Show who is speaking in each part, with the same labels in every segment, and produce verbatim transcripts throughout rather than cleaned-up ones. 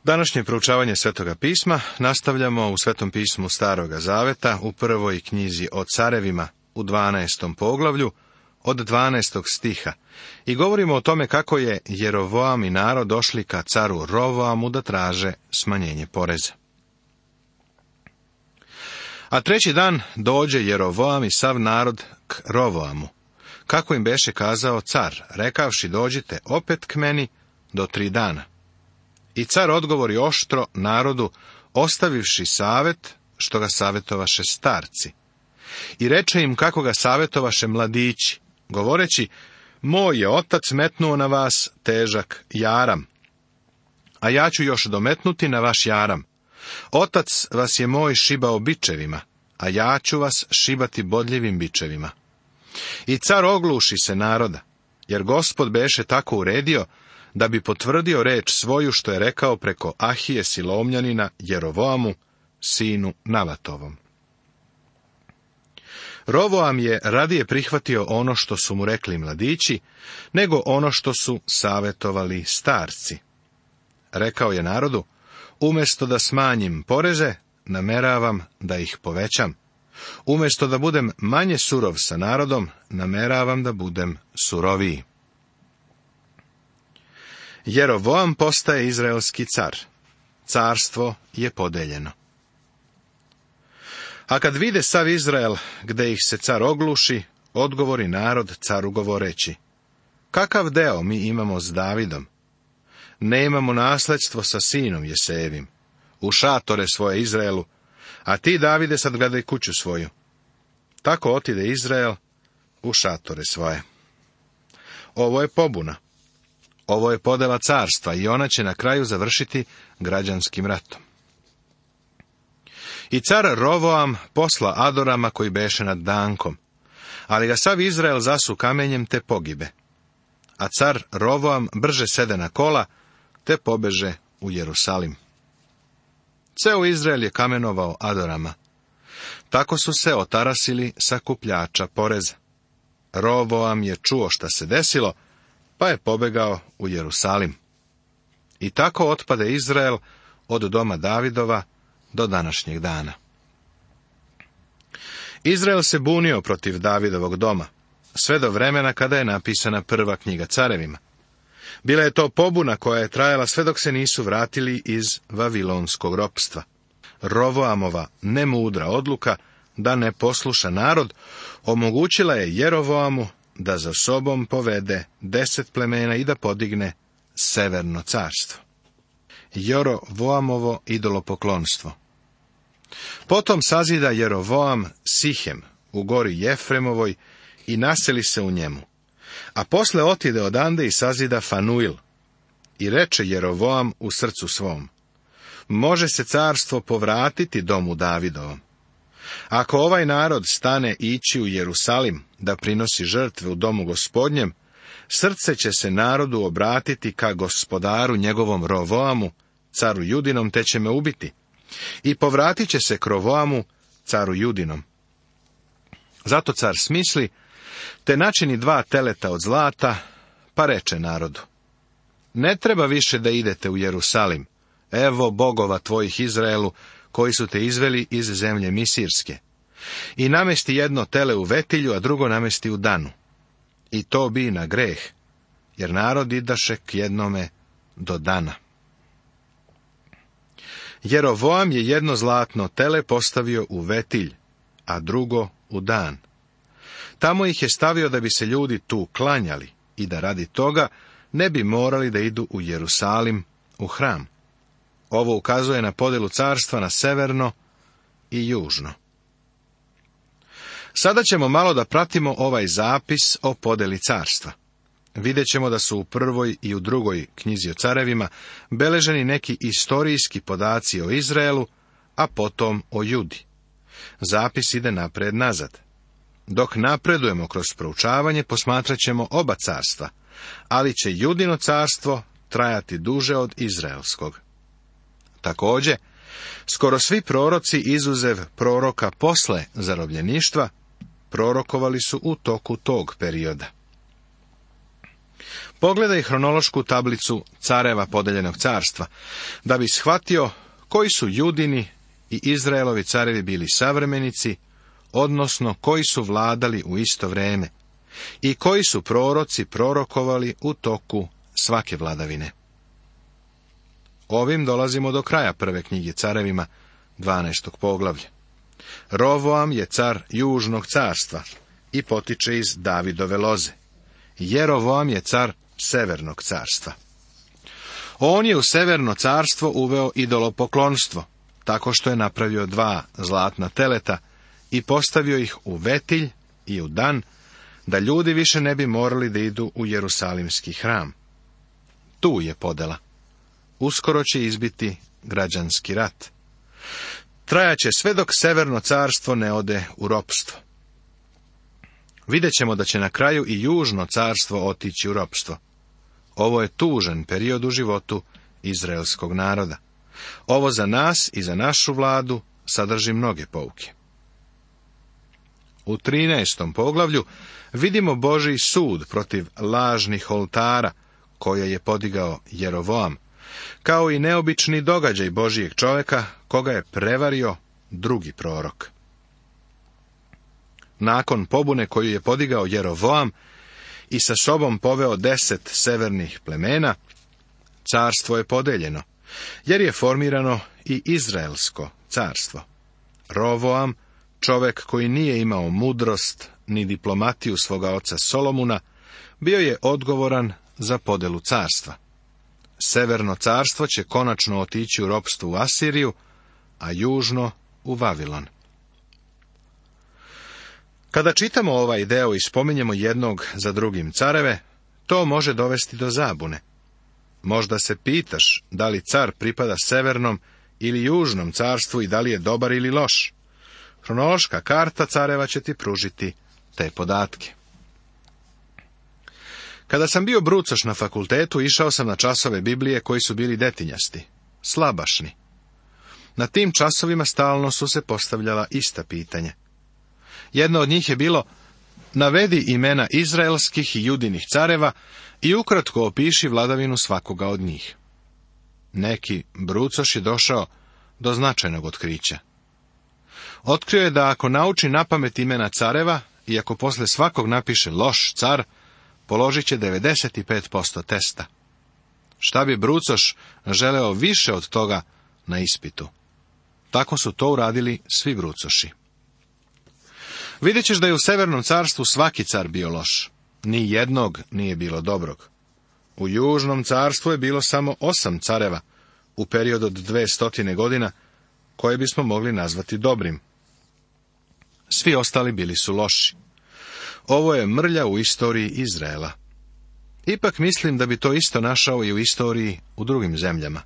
Speaker 1: Današnje proučavanje Svetoga pisma nastavljamo u Svetom pismu Staroga zaveta u prvoj knjizi o carevima u dvanaestom poglavlju od dvanaestog stiha i govorimo o tome kako je Jerovoam i narod došli ka caru Rovoamu da traže smanjenje poreza. A treći dan dođe Jerovoam i sav narod k Rovoamu, kako im beše kazao car, rekavši dođite opet k meni do tri dana. I car odgovori oštro narodu, ostavivši savet, što ga savjetovaše starci. I reče im kako ga savjetovaše mladići, govoreći, moj je otac metnuo na vas težak jaram, a ja ću još dometnuti na vaš jaram. Otac vas je moj šibao bičevima, a ja ću vas šibati bodljivim bičevima. I car ogluši se naroda, jer Gospod beše tako uredio, da bi potvrdio reč svoju što je rekao preko Ahije Silomljanina Jerovoamu, sinu Navatovom. Rovoam je radije prihvatio ono što su mu rekli mladići, nego ono što su savjetovali starci. Rekao je narodu, umjesto da smanjim poreze, nameravam da ih povećam. Umjesto da budem manje surov sa narodom, nameravam da budem suroviji. Jerovoam postaje izraelski car. Carstvo je podeljeno. A kad vide sav Izrael, gde ih se car ogluši, odgovori narod caru govoreći, kakav deo mi imamo s Davidom? Ne imamo nasledstvo sa sinom Jesejevim. U šatore svoje Izraelu, a ti, Davide, sad gledaj kuću svoju. Tako otide Izrael u šatore svoje. Ovo je pobuna. Ovo je podela carstva i ona će na kraju završiti građanskim ratom. I car Rovoam posla Adorama koji beše nad Dankom, ali ga sav Izrael zasu kamenjem te pogibe. A car Rovoam brže sede na kola, te pobeže u Jerusalim. Ceo Izrael je kamenovao Adorama. Tako su se otarasili sakupljača poreza. Rovoam je čuo šta se desilo, pa je pobegao u Jerusalim. I tako otpade Izrael od doma Davidova do današnjeg dana. Izrael se bunio protiv Davidovog doma, sve do vremena kada je napisana prva knjiga carevima. Bila je to pobuna koja je trajala sve dok se nisu vratili iz vavilonskog ropstva. Rovoamova nemudra odluka da ne posluša narod omogućila je Jerovoamu da za sobom povede deset plemena i da podigne severno carstvo. Jerovoamovo idolopoklonstvo. Potom sazida Jerovoam Sihem u gori Jefremovoj i naseli se u njemu. A posle otide odande i sazida Fanuil. I reče Jerovoam u srcu svom, može se carstvo povratiti domu Davidovom. Ako ovaj narod stane ići u Jerusalim da prinosi žrtve u domu Gospodnjem, srce će se narodu obratiti ka gospodaru njegovom Rovoamu, caru Judinom, te će me ubiti. I povratit će se k Rovoamu, caru Judinom. Zato car smisli, te načini dva teleta od zlata, pa reče narodu, ne treba više da idete u Jerusalim, evo bogova tvojih Izraelu, koji su te izveli iz zemlje Misirske. I namesti jedno tele u Vetilju, a drugo namesti u Danu. I to bi na greh, jer narod idaše k jednome do Dana. Jerovoam je jedno zlatno tele postavio u Vetilj, a drugo u Dan. Tamo ih je stavio da bi se ljudi tu klanjali i da radi toga ne bi morali da idu u Jerusalim, u hram. Ovo ukazuje na podelu carstva na severno i južno. Sada ćemo malo da pratimo ovaj zapis o podeli carstva. Vidjet ćemo da su u prvoj i u drugoj knjizi o carevima beleženi neki istorijski podaci o Izraelu, a potom o Judi. Zapis ide napred nazad. Dok napredujemo kroz proučavanje, posmatrat ćemo oba carstva, ali će Judino carstvo trajati duže od izraelskog. Također, skoro svi proroci izuzev proroka posle zarobljeništva, prorokovali su u toku tog perioda. Pogledaj hronološku tablicu careva podeljenog carstva, da bi shvatio koji su Judini i Izraelovi carevi bili savremenici, odnosno koji su vladali u isto vrijeme i koji su proroci prorokovali u toku svake vladavine. Ovim dolazimo do kraja prve knjige carevima, dvanaestog poglavlja. Rovoam je car južnog carstva i potiče iz Davidove loze. Jerovoam je car severnog carstva. On je u severno carstvo uveo idolopoklonstvo, tako što je napravio dva zlatna teleta i postavio ih u Vetilj i u Dan, da ljudi više ne bi morali da idu u Jerusalimski hram. Tu je podela. Uskoro će izbiti građanski rat. Trajaće sve dok severno carstvo ne ode u ropstvo. Vidjet ćemo da će na kraju i južno carstvo otići u ropstvo. Ovo je tužan period u životu izraelskog naroda. Ovo za nas i za našu vladu sadrži mnoge pouke. U trinaestom poglavlju vidimo Božji sud protiv lažnih oltara koje je podigao Jerovoam, kao i neobični događaj Božijeg čovjeka koga je prevario drugi prorok. Nakon pobune koju je podigao Jerovoam i sa sobom poveo deset severnih plemena, carstvo je podeljeno, jer je formirano i Izraelsko carstvo. Rovoam, čovjek koji nije imao mudrost ni diplomatiju svoga oca Solomuna, bio je odgovoran za podelu carstva. Severno carstvo će konačno otići u ropstvo u Asiriju, a južno u Vavilon. Kada čitamo ovaj deo i spominjemo jednog za drugim careve, to može dovesti do zabune. Možda se pitaš da li car pripada severnom ili južnom carstvu i da li je dobar ili loš. Hronološka karta careva će ti pružiti te podatke. Kada sam bio brucoš na fakultetu, išao sam na časove Biblije koji su bili detinjasti, slabašni. Na tim časovima stalno su se postavljala ista pitanja. Jedno od njih je bilo: navedi imena izraelskih i judinih careva i ukratko opiši vladavinu svakoga od njih. Neki brucoš je došao do značajnog otkrića. Otkrio je da ako nauči napamet imena careva i ako posle svakog napiše loš car, položit će devedeset pet posto testa. Šta bi brucoš želeo više od toga na ispitu? Tako su to uradili svi brucoši. Vidjet ćeš da je u severnom carstvu svaki car bio loš. Ni jednog nije bilo dobrog. U južnom carstvu je bilo samo osam careva u periodu od dve stotine godina, koje bismo mogli nazvati dobrim. Svi ostali bili su loši. Ovo je mrlja u istoriji Izraela. Ipak mislim da bi to isto našao i u istoriji u drugim zemljama.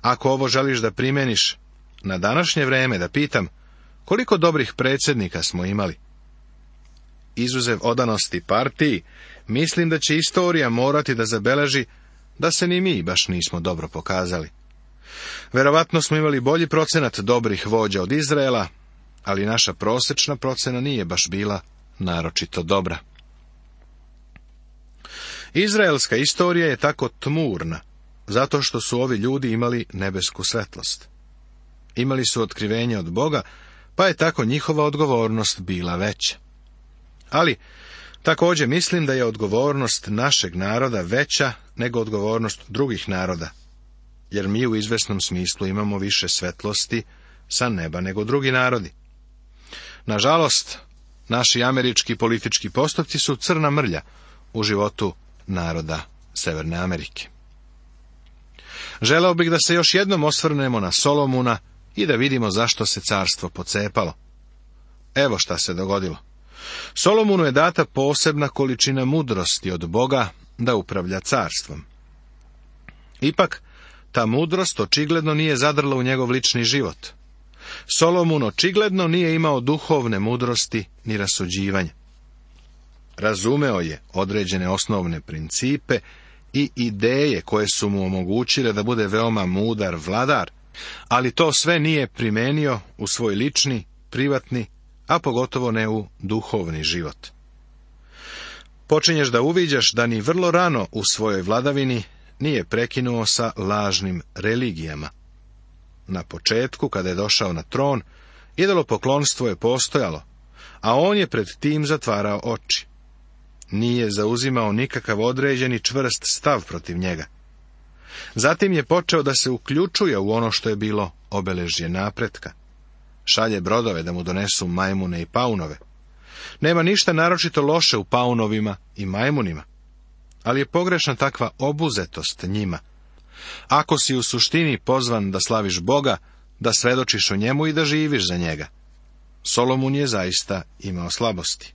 Speaker 1: Ako ovo želiš da primeniš na današnje vrijeme, da pitam, koliko dobrih predsjednika smo imali? Izuzev odanosti partiji, mislim da će istorija morati da zabeleži da se ni mi baš nismo dobro pokazali. Verovatno smo imali bolji procenat dobrih vođa od Izraela, ali naša prosječna procena nije baš bila naročito dobra. Izraelska istorija je tako tmurna, zato što su ovi ljudi imali nebesku svetlost. Imali su otkrivenje od Boga, pa je tako njihova odgovornost bila veća. Ali, također mislim da je odgovornost našeg naroda veća nego odgovornost drugih naroda, jer mi u izvesnom smislu imamo više svetlosti sa neba nego drugi narodi. Nažalost, naši američki politički postupci su crna mrlja u životu naroda Severne Amerike. Želeo bih da se još jednom osvrnemo na Solomuna i da vidimo zašto se carstvo pocepalo. Evo šta se dogodilo. Solomunu je data posebna količina mudrosti od Boga da upravlja carstvom. Ipak, ta mudrost očigledno nije zadrla u njegov lični život. Solomon očigledno nije imao duhovne mudrosti ni rasuđivanja. Razumeo je određene osnovne principe i ideje koje su mu omogućile da bude veoma mudar vladar, ali to sve nije primenio u svoj lični, privatni, a pogotovo ne u duhovni život. počinješ da uviđaš da ni vrlo rano u svojoj vladavini nije prekinuo sa lažnim religijama. Na početku, kada je došao na tron, idolopoklonstvo je postojalo, a on je pred tim zatvarao oči. Nije zauzimao nikakav određeni čvrst stav protiv njega. Zatim je počeo da se uključuje u ono što je bilo obeležje napretka. Šalje brodove da mu donesu majmune i paunove. Nema ništa naročito loše u paunovima i majmunima, ali je pogrešna takva obuzetost njima. Ako si u suštini pozvan da slaviš Boga, da svedočiš o njemu i da živiš za njega. Solomun je zaista imao slabosti.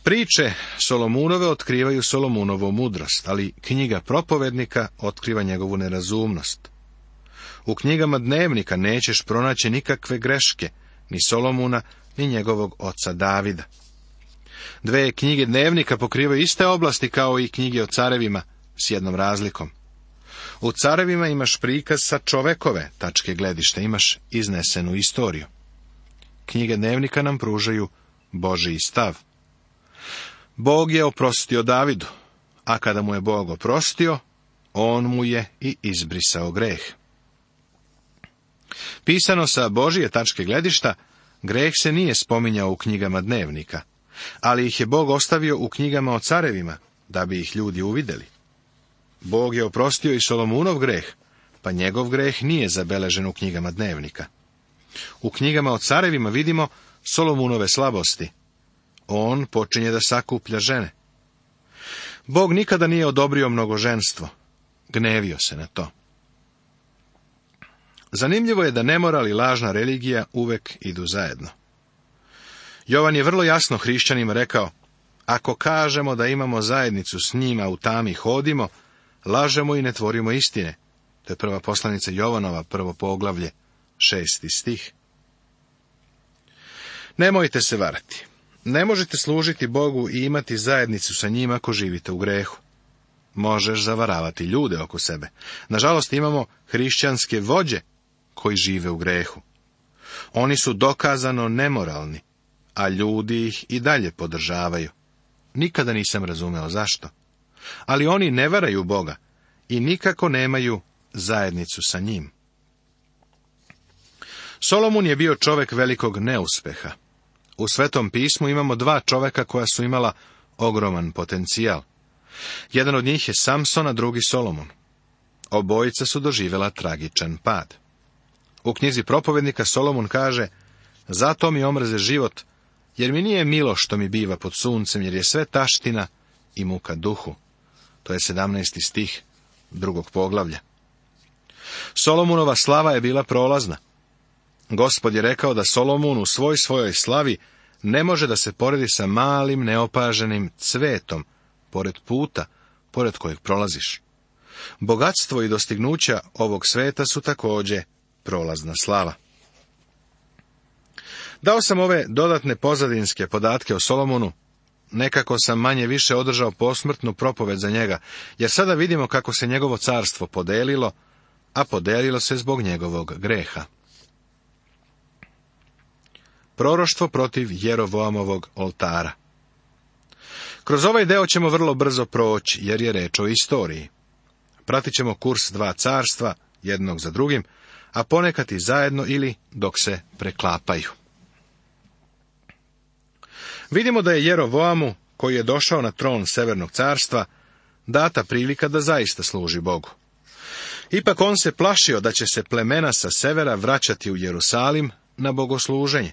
Speaker 1: Priče Solomunove otkrivaju Solomunovu mudrost, ali knjiga propovednika otkriva njegovu nerazumnost. U knjigama dnevnika nećeš pronaći nikakve greške, ni Solomuna, ni njegovog oca Davida. Dve knjige dnevnika pokrivaju iste oblasti kao i knjige o carevima, s jednom razlikom. U carevima imaš prikaz sa čovekove tačke gledišta, imaš iznesenu istoriju. Knjige dnevnika nam pružaju Božji stav. Bog je oprostio Davidu, a kada mu je Bog oprostio, on mu je i izbrisao greh. Pisano sa Božje tačke gledišta, greh se nije spominjao u knjigama dnevnika, ali ih je Bog ostavio u knjigama o carevima, da bi ih ljudi uvidjeli. Bog je oprostio i Solomunov greh, pa njegov greh nije zabeležen u knjigama dnevnika. U knjigama o carevima vidimo Solomunove slabosti. On počinje da sakuplja žene. Bog nikada nije odobrio mnogoženstvo. Gnevio se na to. Zanimljivo je da nemoral i lažna religija uvek idu zajedno. Jovan je vrlo jasno hrišćanima rekao: ako kažemo da imamo zajednicu s njima, u tami hodimo, lažemo i ne tvorimo istine. To je prva poslanica Jovanova, prvo poglavlje, šesti stih. Nemojte se varati. Ne možete služiti Bogu i imati zajednicu sa njima ako živite u grehu. Možeš zavaravati ljude oko sebe. Nažalost, imamo hrišćanske vođe koji žive u grehu. Oni su dokazano nemoralni, a ljudi ih i dalje podržavaju. Nikada nisam razumeo zašto. Ali oni ne varaju Boga i nikako nemaju zajednicu sa njim. Solomun je bio čovjek velikog neuspeha. U Svetom pismu imamo dva čovjeka koja su imala ogroman potencijal. Jedan od njih je Samson, a drugi Solomon. Obojica su doživjela tragičan pad. U knjizi propovednika Solomon kaže: zato mi omrze život, jer mi nije milo što mi biva pod suncem, jer je sve taština i muka duhu. To je sedamnaesti stih drugog poglavlja. Solomunova slava je bila prolazna. Gospod je rekao da Solomun u svoj svojoj slavi ne može da se poredi sa malim neopaženim cvetom pored puta, pored kojeg prolaziš. Bogatstvo i dostignuća ovog sveta su također prolazna slava. Dao sam ove dodatne pozadinske podatke o Solomonu, nekako sam manje više održao posmrtnu propoved za njega, jer sada vidimo kako se njegovo carstvo podelilo, a podelilo se zbog njegovog greha. Proroštvo protiv Jerovoamovog oltara. Kroz ovaj deo ćemo vrlo brzo proći, jer je reč o istoriji. Pratit ćemo kurs dva carstva, jednog za drugim, a ponekad i zajedno ili dok se preklapaju. Vidimo da je Jerovoamu, koji je došao na tron Severnog carstva, data prilika da zaista služi Bogu. Ipak on se plašio da će se plemena sa severa vraćati u Jerusalim na bogosluženje.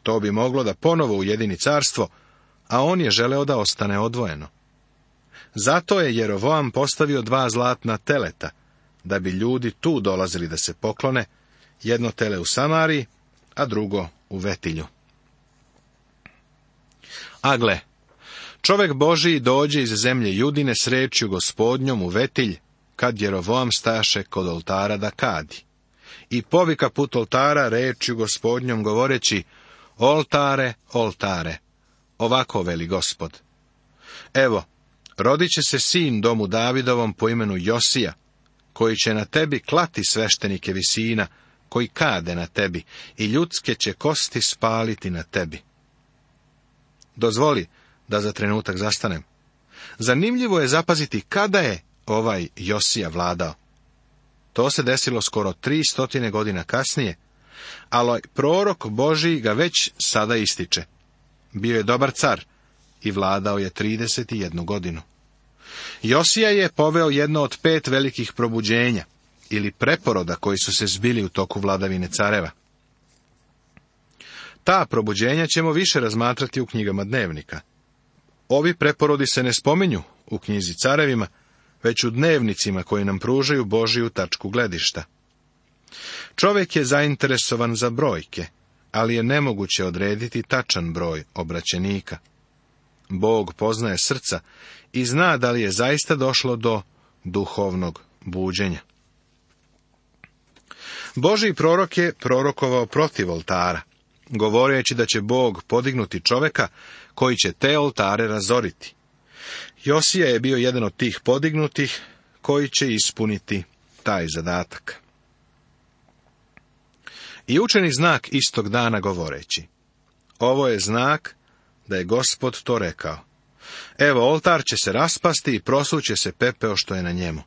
Speaker 1: To bi moglo da ponovo ujedini carstvo, a on je želeo da ostane odvojeno. Zato je Jerovoam postavio dva zlatna teleta, da bi ljudi tu dolazili da se poklone, jedno tele u Samariji, a drugo u Vetilju. A gle, čovek Božiji dođe iz zemlje Judine s rečju Gospodnjom u Vetilj, kad Jerovoam staše kod oltara da kadi. I povika put oltara rečju Gospodnjom govoreći: oltare, oltare, ovako veli Gospod. Evo, rodit će se sin domu Davidovom po imenu Josija, koji će na tebi klati sveštenike visina, koji kade na tebi, i ljudske će kosti spaliti na tebi. Dozvoli da za trenutak zastanem. Zanimljivo je zapaziti kada je ovaj Josija vladao. To se desilo skoro tri stotine godina kasnije, ali prorok Božji ga već sada ističe. Bio je dobar car i vladao je trideset jednu godinu. Josija je poveo jedno od pet velikih probuđenja, ili preporoda koji su se zbili u toku vladavine careva. Ta probuđenja ćemo više razmatrati u knjigama dnevnika. Ovi preporodi se ne spominju u knjizi carevima, već u dnevnicima koji nam pružaju Božiju tačku gledišta. Čovjek je zainteresovan za brojke, ali je nemoguće odrediti tačan broj obraćenika. Bog poznaje srca i zna da li je zaista došlo do duhovnog buđenja. Božji prorok je prorokovao protiv oltara, govoreći da će Bog podignuti čovjeka koji će te oltare razoriti. Josija je bio jedan od tih podignutih koji će ispuniti taj zadatak. I učeni znak istog dana govoreći: ovo je znak da je Gospod to rekao. Evo, oltar će se raspasti i prosuće se pepeo što je na njemu.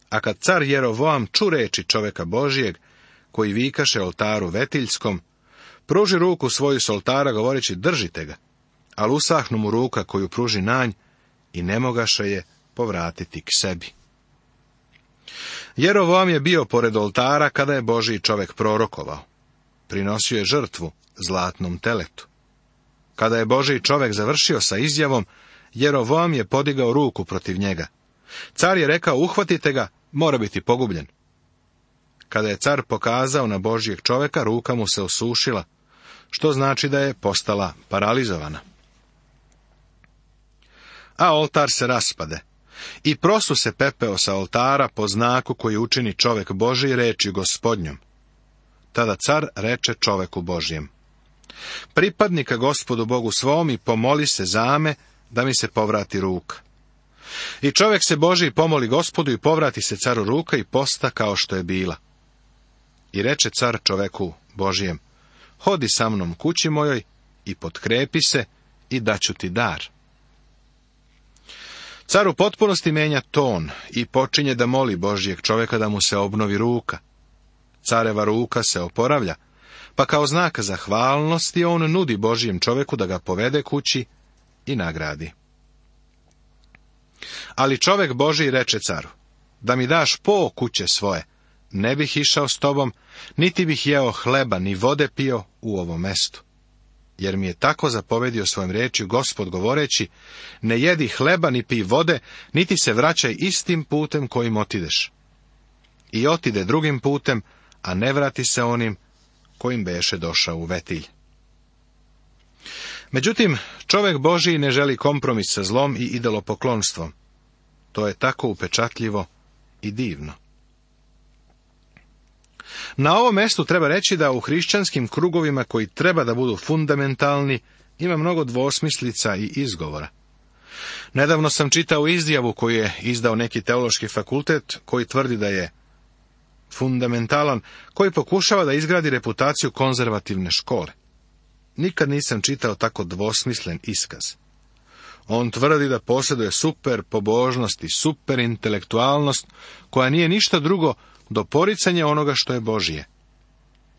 Speaker 1: A kad car Jerovoam ču reči čovjeka Božijeg, koji vikaše oltaru Vetiljskom, pruži ruku svoju s oltara govoreći: držite ga, ali usahnu mu ruka koju pruži nanj i ne mogaše je povratiti k sebi. Jerovoam je bio pored oltara kada je Božji čovjek prorokovao. Prinosio je žrtvu zlatnom teletu. Kada je Božji čovjek završio sa izjavom, Jerovoam je podigao ruku protiv njega. Car je rekao: uhvatite ga, mora biti pogubljen. Kada je car pokazao na Božjeg čovjeka, ruka mu se osušila, što znači da je postala paralizovana. A oltar se raspade i prosu se pepeo sa oltara po znaku koji učini čovjek Božji reči Gospodnjom. Tada car reče čovjeku Božjem: pripadnika Gospodu Bogu svom i pomoli se za me da mi se povrati ruka. I čovjek se Božji pomoli Gospodu i povrati se caru ruka i posta kao što je bila. I reče car čoveku Božjem: hodi sa mnom kući mojoj i potkrepi se i daću ti dar. Car u potpunosti menja ton i počinje da moli Božjeg čovjeka da mu se obnovi ruka. Careva ruka se oporavlja, pa kao znak zahvalnosti on nudi Božjem čovjeku da ga povede kući i nagradi. Ali čovjek Božji reče caru: da mi daš po kuće svoje, ne bih išao s tobom, niti bih jeo hleba ni vode pio u ovom mestu. Jer mi je tako zapovedio svojim riječju Gospod govoreći: ne jedi hleba ni pij vode, niti se vraćaj istim putem kojim otideš. I otide drugim putem, a ne vrati se onim kojim beše došao u Vetilj. Međutim, čovjek Božji ne želi kompromis sa zlom i idolopoklonstvom. To je tako upečatljivo i divno. Na ovom mjestu treba reći da u hrišćanskim krugovima koji treba da budu fundamentalni ima mnogo dvosmislica i izgovora. Nedavno sam čitao izjavu koju je izdao neki teološki fakultet koji tvrdi da je fundamentalan, koji pokušava da izgradi reputaciju konzervativne škole. Nikad nisam čitao tako dvosmislen iskaz. On tvrdi da posjeduje super pobožnost i super intelektualnost, koja nije ništa drugo do poricanja onoga što je Božije.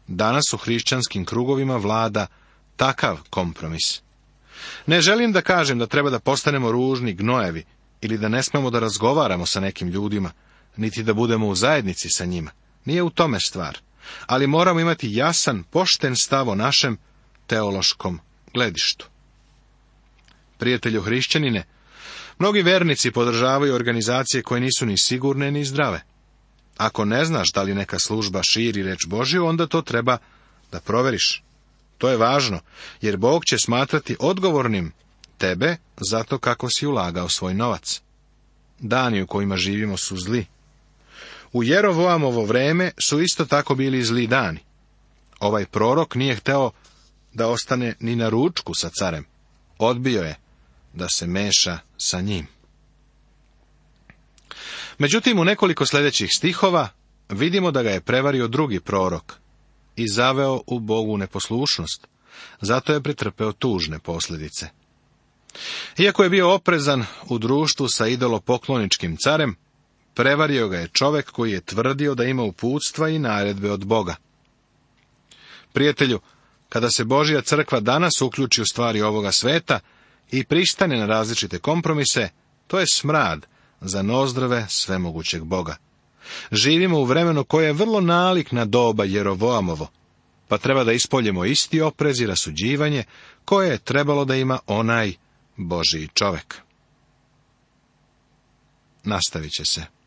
Speaker 1: Danas u hrišćanskim krugovima vlada takav kompromis. Ne želim da kažem da treba da postanemo ružni gnojevi ili da ne smemo da razgovaramo sa nekim ljudima, niti da budemo u zajednici sa njima. Nije u tome stvar, ali moramo imati jasan, pošten stav o našem teološkom gledištu. Prijatelju hrišćanine, mnogi vernici podržavaju organizacije koje nisu ni sigurne ni zdrave. Ako ne znaš da li neka služba širi reč Božju, onda to treba da proveriš. To je važno, jer Bog će smatrati odgovornim tebe zato kako si ulagao svoj novac. Dani u kojima živimo su zli. U Jerovoamovo vreme su isto tako bili zli dani. Ovaj prorok nije hteo da ostane ni na ručku sa carem. Odbio je da se meša sa njim. Međutim, u nekoliko sljedećih stihova vidimo da ga je prevario drugi prorok i zaveo u Bogu neposlušnost. Zato je pretrpeo tužne posljedice. Iako je bio oprezan u društvu sa idolopokloničkim carem, prevario ga je čovek koji je tvrdio da ima uputstva i naredbe od Boga. Prijatelju, kada se Božja crkva danas uključi u stvari ovoga sveta i pristane na različite kompromise, to je smrad za nozdrave svemogućeg Boga. Živimo u vremenu koje je vrlo nalik na doba Jerovoamovo, pa treba da ispoljemo isti oprez i rasuđivanje koje je trebalo da ima onaj Božji čovek. Nastavit će se.